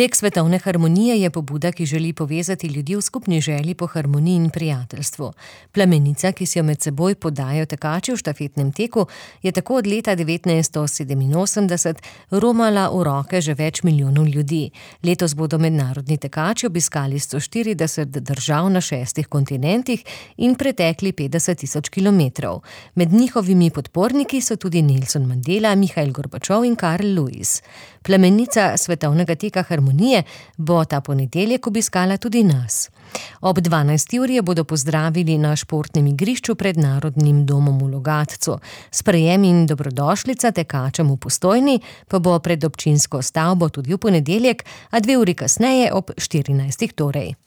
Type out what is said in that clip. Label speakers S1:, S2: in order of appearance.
S1: Tek svetovne harmonije je pobuda, ki želi povezati ljudi v skupni želji po harmoniji in prijateljstvu. Plamenica, ki si jo med seboj podajo tekači v štafetnem teku, je tako od leta 1987 romala v roke že več milijonov ljudi. Letos bodo mednarodni tekači obiskali 140 držav na 6 kontinentih in pretekli 50.000 kilometrov. Med njihovimi podporniki so tudi Nelson Mandela, Mihail Gorbačov in Karl Lewis. Plamenica svetovnega teka harmonije bo ta ponedeljek obiskala tudi nas. Ob 12. uri bodo pozdravili na športnem igrišču pred Narodnim domom v Logatcu. Sprejem in dobrodošlica tekačem v Postojni pa bo pred občinsko stavbo tudi v ponedeljek, a 2 uri kasneje ob 14. torej.